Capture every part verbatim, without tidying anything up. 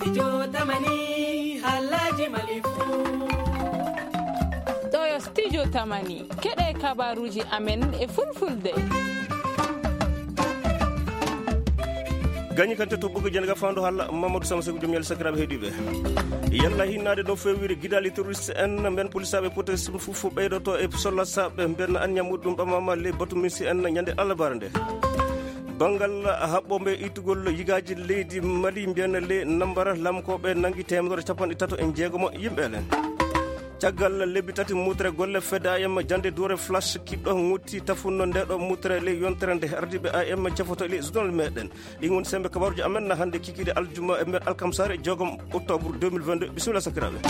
Studio Tamani, haalaaji Mali fuu. Ɗoo yo Studio Tamani, keɗee kabaaruuji amen e Fulfulde. Gañi kante to ɓoggol jeenaga faandu halla Mamadou Sama Seku, jom ñalle sakiraaɓe heɗiiɓe. Yalla hinnaade no feewiri gidaali terroriste en, mben polisaaɓe protection civile fof fof ɓeydoto e sollasaaɓe, mben anniya muɗum ɓamaama ley batu minsi en ñande alarbaare nde. Banngal haɓɓooɓe ittugol yigaaji leydi Mali mbiyan ley Nambara, laamkooɓe nangi teemedere capanɗe tato e jeegomo yimɓe ɓen. Caggal lebbi tati mutre golle F D A M jannde duure flash kiɗɗo ŋotti tafunno nde ɗo mutre ley yontere nde ardiiɓe A M cefoto ley journal meɗen. Ɗin woni sembe kabaaruuji amen na hannde kikiiɗe aljuma e mbeɗe alkamsaare joogom octobre deux mille vingt-deux. Bisimilla sakiraaɓe.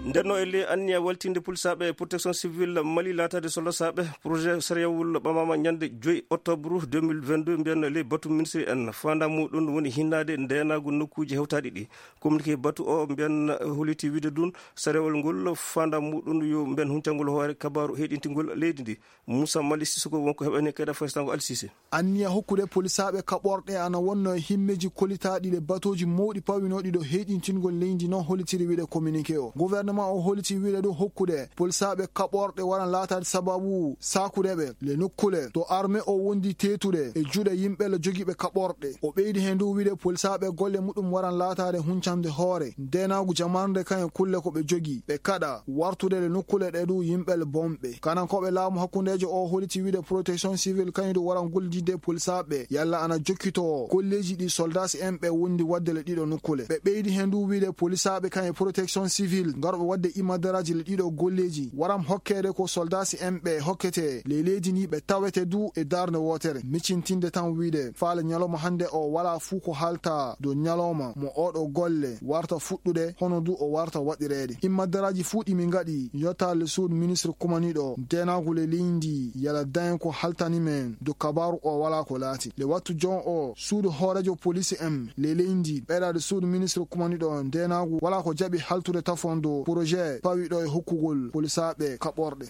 Ndenno e ley anniya waltinde polisaaɓe protection civile Mali laataade sollasaaɓe, projet sariyawol ɓamaama ñande joy octobre deux mille vingt-deux, mbiyan ley batu ministre en. Faandaa muɗum woni hinnaade ndeenaagu nokkuuji hewtaaɗi ɗi. Communiqué batu o mbiyan holliti wiide ɗum sariyawol ngol faandaa muɗum yo mbiyan huncangol hoore kabaaru heyɗintingol leydi ndi. Moussa Mali Sissoko wonko heɓani kayɗa faysango Alsise. Anniya hokkude polisaaɓe kaɓorɗe ana wonno e himmeeji kollitaaɗi ɗe batooji mawɗi pawinooɗi ɗo heyɗintingol leydi non hollitiri wiide communiqué o. Gouvernement o holliti wiide ɗum hokkude polisaaɓe kaɓorɗe waran laataade sababu saakude ɓe le nokkule to armée o wondi teetude e juuɗe yimɓe le jogiiɓe kaɓorɗe. O ɓeydi heen du wiide polisaaɓe golle muɗum waran laataade huncande hoore ndeenaagu jamarnde kañe kulle ko ɓe jogii ɓe kaɗa wartude le nokkule ɗe du yimɓe le bonɓe. Kanankooɓe laamu hakkundeejo o holliti wiide protection civile kañum du waran gollididde polisaaɓe yalla ana jokkitoo golleeji ɗi soldaasi en ɓe wondi waɗde le ɗiɗo nokkule. Ɓe ɓeydi heen du wiide polisaaɓe kañe protection civile ngarɓe waɗde imadaraaji le ɗiɗo golleeji waran hokkeede ko soldaasi en ɓe hokketee ley leydi ndi ɓe tawete du e darnde wootere. Miccintinde tan wiide faale ñalawma hannde o walaa fuu ko haalta dow ñalawma mo oɗo golle warta fuɗɗude hono du o warta waɗireede. Immadaraaji fuu ɗi min ngaɗi yottaade le suudu ministre kumaniiɗo ndeenaagu le leydi yalla dañen ko haaltani men dow kabaaru o walaa ko laati. Le wattu jon o suudu hooreejo polisi en le leydi ɓeydaade suudu ministre kumaniiɗo ndeenaagu walaa ko jaɓi haaltude tafon dow projet pawiɗo e hokkugol polisaaɓe kaɓorɗe.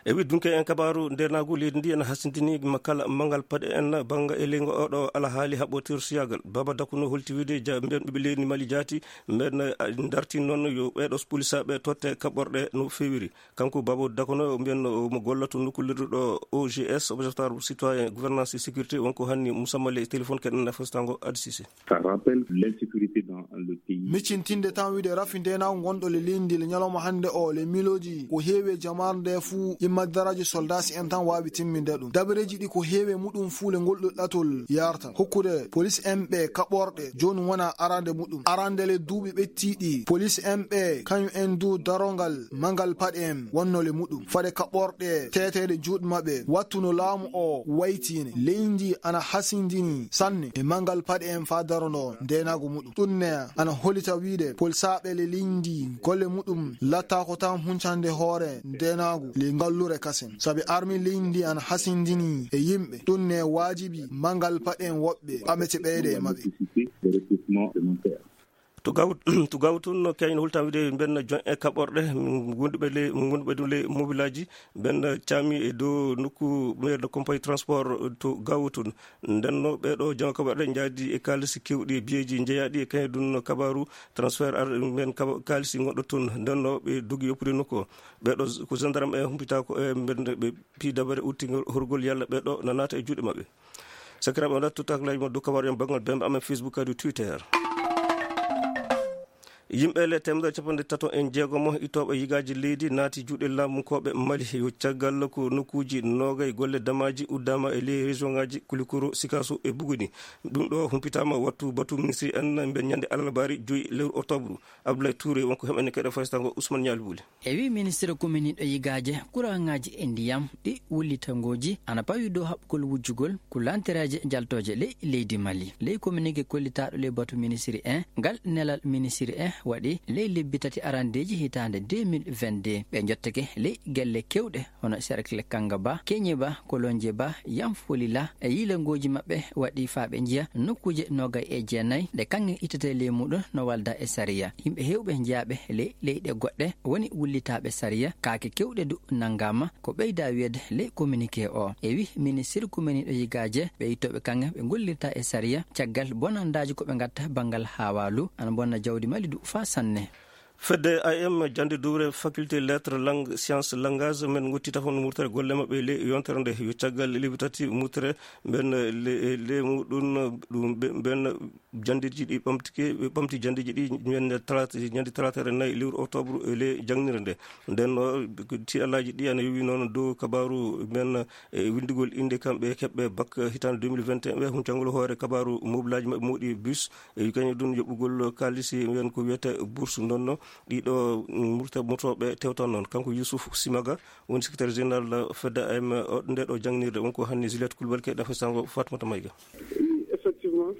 E wiɗɗunke en kabaaru ndeenaagu leydi ndi ena hasindini ma kala manngal paɗe en bannga e leydi ngo oɗo alhaali haɓɓotirsiyagal. Baba Dakuno holti wiide ja-, mbiyan ɓiɓɓe leydi Mali jaati, mbiyan, eh, darti noon yo ɓeeɗo polisaaɓe totte kaɓorɗe no feewiri. Kanko Baba Dakuno mbiyan no mo gollato nokku lirduɗo O G S, Observatoire Citoyen Gouvernance et Sécurité, wonko hanni musamma ley téléphone keɗen na festango Adi Sise. Ça rappelle l'insécurité dans le pays. Miccintinde tan wiide rafi ndeenaagu ngonɗo le leydi le ñalawma hannde o le miilooji ko heewi e jamaare nde fuu immadaraaji soldaasi en tan waawi timminde ɗum. Dabareeji ɗi ko heewi e muɗum fuu le ngol ɗo ɗatol yarta. Hokkude polis en ɓe kaɓorɗe jooni wona arande muɗum. Arande le duuɓi ɓettiiɗi polis en ɓe kañum en du darongal mangal paɗe en wonno le muɗum. Fade kaɓorɗe teeteede juuɗe maɓɓe wattu no laamu o waytiine. Leydi ana hasindini sanne e mangal paɗe en faa darono ndeenaagu muɗum. Ɗum ne ana holita wiide polisaaɓe le leydi golle muɗum lattaako tan huncande hoore ndeenaagu le ngallure kasen. Sabi armi leydi ana hasindini e yimɓe. Ɗum ne waajibi mangal paɗe en woɓɓe ɓamete ɓeyde e maɓɓe. To gaw-, to gaw tun no keñen hulta wiide mben jon e kaɓorɗe, ngonduɓe le, ngonduɓe ɗum le mobilaaji, mben caami e dow nokku maire de compagnie transport to gaw tun. Ndenno ɓeeɗo jama kaɓorɗe njaadi e kaalisi kewɗi e biyeeji njeyaaɗi e kañum ɗum no kabaaru transfert ar mben kaba-, kaalisi ngoɗɗo tun. Ndenno ɓe dogi yoppude nokku o. Ɓeeɗo ko gendarme e humpita ko e mben ɓe pii dabare utti horgol yalla ɓeeɗo na naata e juuɗe maɓɓe. Sakiraaɓe, on ɗaɓɓi tottaakleeji mon dow kabaaru en banngal bembe amen Facebook kadi Twitter. Yimɓe le teemedere capanɗe tato e jeegomo ittooɓe yigaaji leydi naati juuɗe laamukooɓe Mali. Yo caggal ko nokkuuji noogay golle damaaji uddaama e ley région ngaaji Kulikoro, Sikaso e Buguni. Ɗum ɗo humpitaama wattu batu ministre en mbe ñande alarbaari joy lewru octobre. Abdoulaye Touré wonko heɓani keɗe faysango Ousmane Nialy Bouli. E wii ministre kominiiɗo yigaaje, kuraŋaaji e ndiyam, ɗi wullitangooji ana pawi dow haɓɓugol wujjugol ko lantereeje jaltooje ley leydi Mali. Ley kominike kollitaaɗo ley batu ministiri en, ngal nelal ministiri en waɗi ley lebbi tati arandeeji hitaande deux mille vingt-deux. Ɓe njottake ley gelle keewɗe hono Serkle Kangaba, Keñeba, Kolonjeba, Yanfolila, e yiilangooji maɓɓe waɗi faa ɓe njiya nokkuuje noogay e jeenay ɗe kaŋŋe ittetee ley muuɗum no walda e sariya. Yimɓe heewɓe jeyaaɓe ley leyɗe goɗɗe woni wullitaaɓe sariya, kaake keewɗe du nanngaama, ko ɓeydaa wiyeede ley kominikee oo. E wii ministir kumaniiɗo yigaaje, ɓee ittooɓe kaŋŋe ɓe ngollirta e sariya caggal bonandaaji ko ɓe ngatta banngal haawaalu, ana bonna jawdi Mali du faa sanne. Fedde A M jannde dowre faculté lettres langue science langage men ngotti tafon murtere golle maɓɓe ley yontere nde yo caggal lebbi tati murtere mben le, le muɗum ɗum ɓe, mben janndeeji ɗi ɓamtike, ɓe ɓamti janndeeji ɗi ñande talaata, ñande talaata nayi lewru octobre e ley jangnirde nde. Nden no tiiɗalaaji ɗi ana yowi noon dow kabaaru men e winndugol innde kamɓe keɓɓe bak hitaande deux mille vingt et un ɓe. Hun cangol hoore kabaaru mobilaaji maɓɓe mawɗi bus e kañum ɗum yoɓugol kaalisi men ko wiyetee bourse ndonno ɗiɗo murta motooɓe tewtan noon. Kanko Youssouf Simaga woni secrétaire général fedde A M o nde ɗo jangnirde. Won ko hanni Juliette Coulibaly kay ɗafe sango Fatmata Mayga. Effectivement.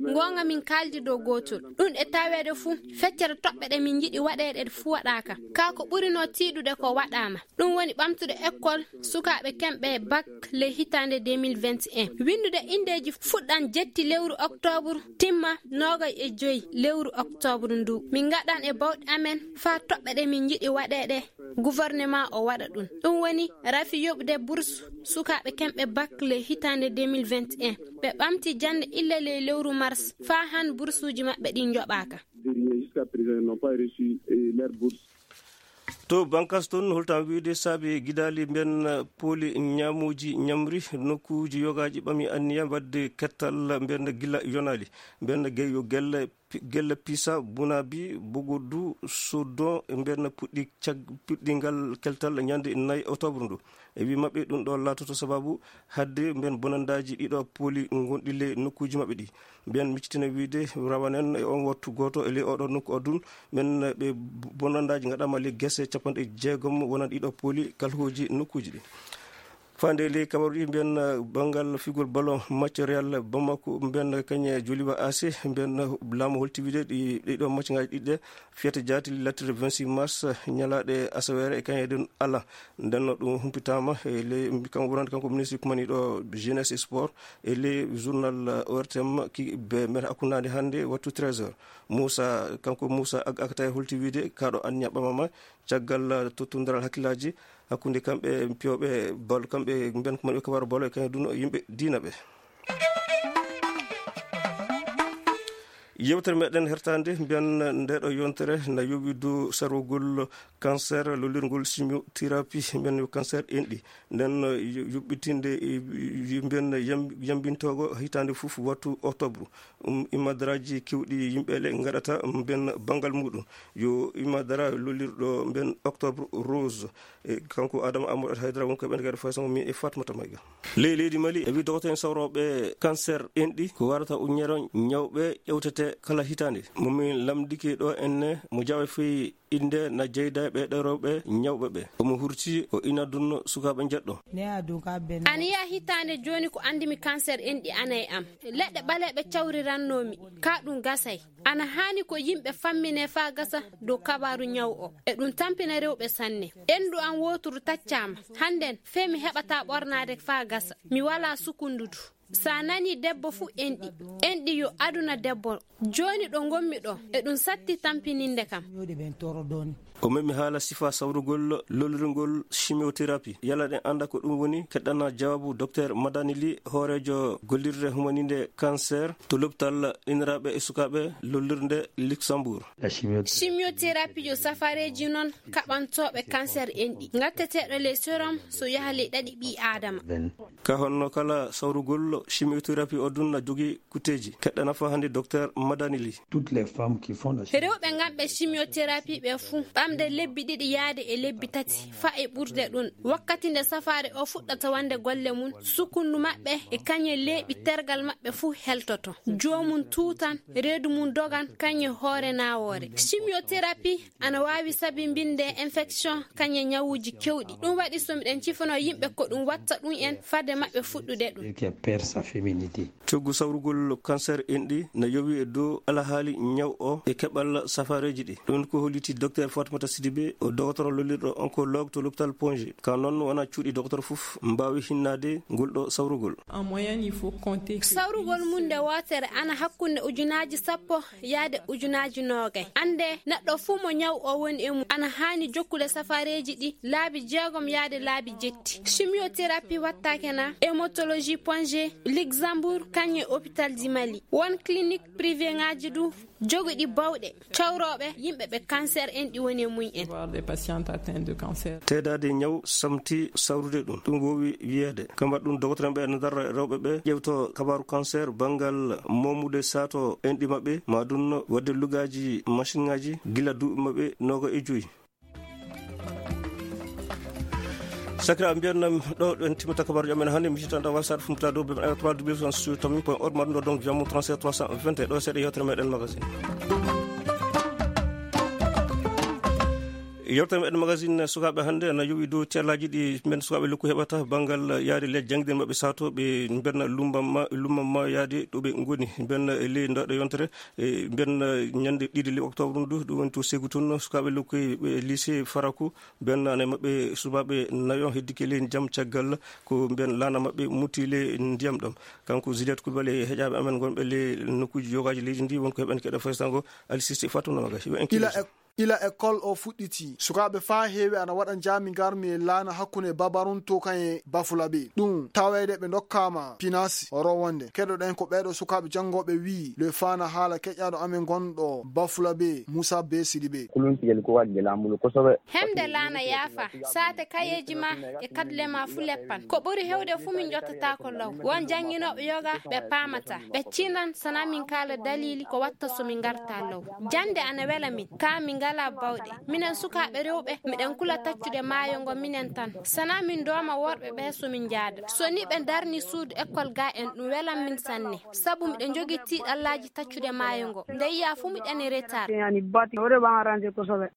Goonga, min kaaldi dow gootol. Ɗum e taweede fuu, feccere toɓɓe ɗe min njiɗi waɗeede fuu waɗaaka. Kaa ko ɓurinoo tiiɗude ko waɗaama. Ɗum woni ɓamtude ekkol sukaaɓe kemɓe bak ley hitaande deux mille vingt et un. Winndude inndeeji fuɗɗan jetti lewru oktoobre, timma noogay e joy lewru oktoobre nduu. Min ngaɗan e bawɗe amen faa toɓɓe ɗe min njiɗi waɗeede. Gouvernement o waɗa ɗum. Ɗum woni rafi yoɓude bourse sukaaɓe kemɓe bak ley hitaande deux mille vingt et un. Ɓe ɓamti jannde illa ley lewru mars faa han boursuuji maɓɓe ɗin njoɓaaka. Jusqu'à présent, ils n'ont pas reçu, euh, leur bourse. To bankas toon, holtan wiide saabi gidaali mben pooli ñaamuuji ñamri nokkuuji yogaaji ɓami anniya waɗde kettal mben gila yonaali. Mben ge-, yo gelle pi-, gelle Pisa, Bunabi, Bogodu, Sodon, mben puɗɗi cag-, puɗɗingal keltal ñande nayi octobre ndu. E wii maɓɓe, ɗum ɗo laatoto sababu hadde mben bonandaaji ɗiɗo pooli ngonɗi ley nokkuuji maɓɓe ɗi. Mben miccitina wiide rawanen e on wattu gooto e ley oɗo nokku o dun, mben ɓe bonandaaji ngaɗaama ley gese capanɗe jeegom wonan ɗiɗo pooli kalhooji nokkuuji ɗi. Faande ley kabaru ɗi, mbiyen, eh, banngal figol ballon match Real Bamako, mbiyen, kañe Joliba A C, mbiyen, eh, laamu holti wiide ɗi, ɗiɗo match ŋaaji ɗiɗi ɗe fiyata jaati lattirde vingt-six mars, eh, ñalaaɗe asaweere e kañe ɗen ala. Nden no ɗum humpitaama e ley, kanko wonande kanko ministre kumaniiɗo jeunesse et sport e ley journal, eh, O R T M ki be men hakkundaande hannde wattu treize heures. Moussa, kanko Moussa Ag-, Agata e holti wiide kaa ɗo anniya ɓamama caggal, eh, tottundiral hakkillaaji hakkunde kamɓe piyooɓe bal, kamɓe mbiyen ko moni ɓe kabaaru bal e kañum dun yimɓe diina ɓe. Yewtere meɗen hertande mbiyen nde ɗo yontere na yowi dow sarwugol cancer, lollirgol chimiothérapie, mbiyen yo cancer enɗi. Nden yo-, yoɓɓitinde, eh, mbiyen yam-, yambintoogo hitaande fof wattu octobre. Um, imadaraaji kewɗi yimɓe le ngaɗata mbiyen banngal muɗum. Yo imadara lollirɗo mbiyen Octobre Rose. E kanko Adama Amadou Haydara woni ko ɓen kadi fay sama mi e Fatmata Mayga. Ley leydi Mali, e wi dogoto en sawrooɓe cancer enɗi, ko warata uññere ñawɓe ƴewtete kala hitaande. Mo min lamndike ɗo enne, mo jaɓa fii innde na jeyda e ɓee ɗoo rewɓe ñawɓe ɓe. Omo hurti ko ina dunno sukaaɓe njeɗɗo. Ana yiya hitaande jooni ko anndimi cancer enɗi ana e am. Leɗɗe ɓaleeɓe cawrirannoomi, kaa ɗum gasay. Ana haani ko yimɓe famminee faa gasa dow kabaaru ñaw o. E ɗum tampina rewɓe sanne. Enɗu am wooturu taccaama. Hannden, fee mi heɓataa ɓornaade faa gasa. Mi walaa sukundu du. So a nanii debbo fuu enɗi. Enɗi yo aduna debbo. Jooni ɗo ngonmi ɗo, e ɗum satti tampininde kam. O memi haala sifa sawrugol lollirgol chimiothérapie. Yalla ɗen annda ko ɗum woni, keɗɗana jawaabu Docteur Madani Ly, hooreejo gollirde humaninde cancer to lopital inniraaɓe e sukaaɓe lollirde Luxembourg. Chimiothérapie yo safareeji non kaɓantooɓe cancer enɗi, ngatteteeɗo ley sérum so yaha ley ɗaɗi ɓii Aadama. Ka honno kala sawrugol chimiothérapie o dun na jogii kutteeji. Keɗɗa nafa hannde Docteur Madani Ly. Toutes les femmes qui font la chimiothérapie. Rewɓe nganɓe chimiothérapie ɓe fuu, Ɓamde lebbi ɗiɗi yaade e lebbi tati, faa e ɓurde ɗun. Wakkati nde safaare oo fuɗɗata wonde golle mun, sukundu maɓɓe e kañe leeɓi tergal maɓɓe fuu heltoto. Joomum tuutan, reedu mun dogan, kañe hoore naawoore. Chimiothérapie ana waawi sabinbinde infection, kañe ñawuuji kewɗi. Ɗun waɗi so miɗen cifanoo yimɓe ko ɗun watta ɗun en fade maɓɓe fuɗɗude ɗun. Coggu sawrugol kanseer enɗi na yowii e dow alhaali ñaw oo e keɓal safaareeji ɗi. Ɗun ko holliti Dokteer Fatmata Sidibe, o dogotoro lollirɗo onkoloog to lopital Ponje. Kaa non, wonaa cuuɗi dogotoro fof mbaawi hinnaade ngol ɗoo sawrugol. Sawrugol mun nde wootere ana hakkunde ujunaaji sappo yaade ujunaaji noogay. Annde, neɗɗo fuu mo ñaw oo woni e mun ana haani jokkude safaareeji ɗi laabi jeegom yaade laabi jetti. Chimiothérapie wattaake na hématologie Ponje, Luxembourg, kañe hôpital du Mali. Won clinique privéŋaaji du jogiɗi bawɗe cawrooɓe yimɓe ɓe kanseer enɗi woni e mun en. Teedaade ñaw samti sawrude ɗun. Ɗun woowi wiyeede. Kamma ɗun, dogotoreeɓe ɓe ana darra rewɓe ɓe ƴeewtoo kabaaru kanseer banngal moomude sato enɗi maɓɓe, maa ɗun waɗde lugaaji masinŋaaji gila duuɓi maɓɓe nooga e joy. Sakira mbiyan nam ɗo ɗen timmata kabaaruji amen hannde, mi sitanta website fumta dow ɓe trois w sur tamin point org, ma ɗum ɗo donc via mon trente-sept trois cent vingt et un. Ɗo seeɗa yewtere meɗen magazine. Yewtere meɗen magazine sukaaɓe hannde ana yowi dow teelaaji ɗi mben sukaaɓe lokku heɓata banngal yaade ley janngirde maɓɓe sato ɓe mbenna lumbamma lumbamma yaade ɗo ɓe ngoni mbenna ley ndoɗo yontere. E mbenna ñande ɗiɗi ley octobre ndu ɗum woni to segu tun sukaaɓe lokku ɓe lycée faraku. Benn ana maɓɓe subaaɓe nayo heddike ley ndiyam caggal ko mben laana maɓɓe mutti ley ndiyam ɗam. Kanko Juliette Coulibaly e heƴaaɓe amen ngonɓe ley nokkuuji yogaaji leydi ndi won ko heɓen keɗa faysango. Ali Sissi Fatou Namaga yo en ila e ila école o fuɗɗiti sukaaɓe faa heewi ana waɗa njaami ngarmi e laana hakkunde babarunto kan e bafulabe ɗum taweede ɓe ndokkaama pinaasi rowonde keɗoɗen ko ɓeeɗo sukaaɓe janngooɓe wii le faana haala keƴaaɗo amen gonɗo bafulabe Muusa Bee Sidibe. Kulunsigel ko waɗde laamu kosooɓe. Hemde laana yaafa saate kayeeji ma e kadle ma fu leppan ko ɓuri hewde fu min ƴottataako law won jannginooɓe yoga ɓe paamata ɓe cinan sana min kaala daliili ko watta so min ngarta law. Jannde ana wela min kaa min ngalaa bawɗe minen sukaaɓe rewɓe miɗen kula taccude maayo ngo minen tan sana min dooma worɓe ɓee so min njaada so ni ɓe ndarni suudu ekkol gaa en ɗum welan min sanne. Sabu miɗo njogii tiiɗallaaji taccude maayo ngo nde yiyaa fuu miɗen e retaar.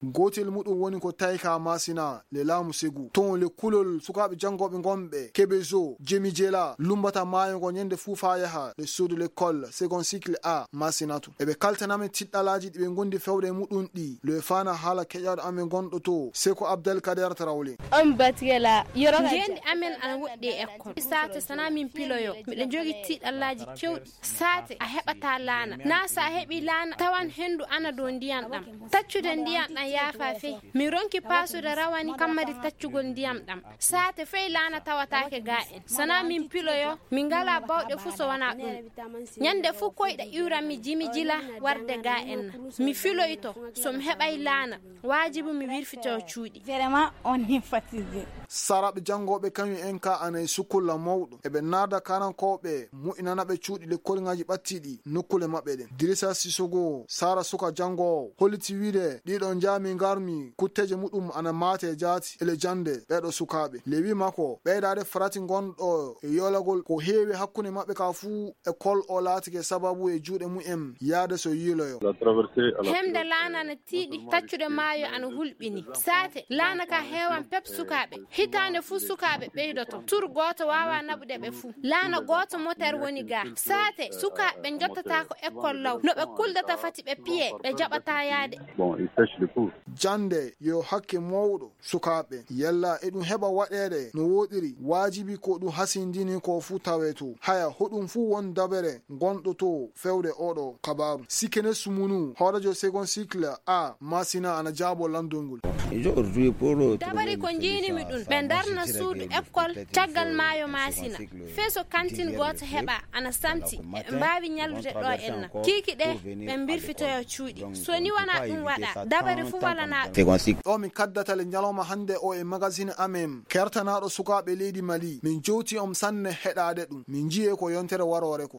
Gootel muɗum woni ko tawi ka Maasina le laamu Segu ton le kulol sukaaɓe janngooɓe ngonɓe Kebezo Jemijela lummbata maayo ngo ñannde fuu faa yaha le suudu lekkol second cycle A Maasina tun. Eɓe kaltana men tiiɗallaaji ɗi ɓe ngondi fewde e muɗum ɗii le faana haala keƴaaɗo amen gonɗo too Seko Abdel Kader Tarawle. Ndeendi amen ana woɗɗi e ekkol saate sana min piloyoo miɗo njogii tiiɗallaaji kewɗi. Saate a heɓataa laana naa so a heɓii laana tawan henndu ana dow ndiyam ɗam. Taccude ndiyam ɗam yaafaa fey. Mi ronki paasude rawani kammari taccugol ndiyam ɗam. Saate fey laana tawataake gaa en sana min piloyoo min ngalaa bawɗe fuu so wanaa ɗum. Ñannde fuu koyɗe iwran mi jimi jila warde gaa en na mi filoyto so mi heɓay laana. Waajibu mi wirfitoo cuuɗi. Saraaɓe janngooɓe kañum en kaa ana e sukkulla mawɗo eɓe naada kaanankooɓe moƴƴinana ɓe cuuɗi lekkolŋaaji ɓattiiɗi nokkule maɓɓe ɗen. Dirisa Sisogo Sara suka janngoowo holliti wiide ɗiɗo njaami ngarmi kutteeje muɗum ana maate jaati ele jannde ɓeeɗo sukaaɓe le wii makko ɓeydaade farati ngonɗo e yoolagol ko heewi hakkunde maɓɓe kaa fuu. Ekol o laatike sababu e juuɗe mumen yaade so yiiloyo. Hemde laana ana tiiɗi taccude maayo ana hulɓini saate laana ka heewan pep sukaaɓe. Hitaande fuu sukaaɓe ɓeydoto tur gooto waawaa naɓude ɓe fuu. Laana gooto moter woni gaa saate sukaaɓe ɓe njottataako ekkol law no ɓe kuldata fati ɓe piye ɓe jaɓataa yaade. Jannde yo hakke mawɗo sukaaɓe yalla eɗum heɓa waɗeede no wooɗiri waajibi ko ɗum hasindini ko fuu tawee to haya hoɗum fuu won dabere ngonɗo to fewde oɗo kabaaru. Sikene sumunu hoorejo second cycle a masina ana jaabo lanndol ngol. Dabari ko njiinimi ɗum ɓe ndarna suudu ekkol caggal maayo masina. Fee so kantin gooto heɓa ana santi eɓe mbaawi ñallude ɗo en na kiiki ɗe ɓe mbirfitoyo cuuɗi. So ni wonaa ɗum waɗa dabari fuu walanaa ɗum. Ɗo min kaddata le ñalawma hannde o e magasine amen kertanaaɗo sukaaɓe leydi mali min jowti on sanne heɗaade ɗum min njiyee ko yontere waroore ko.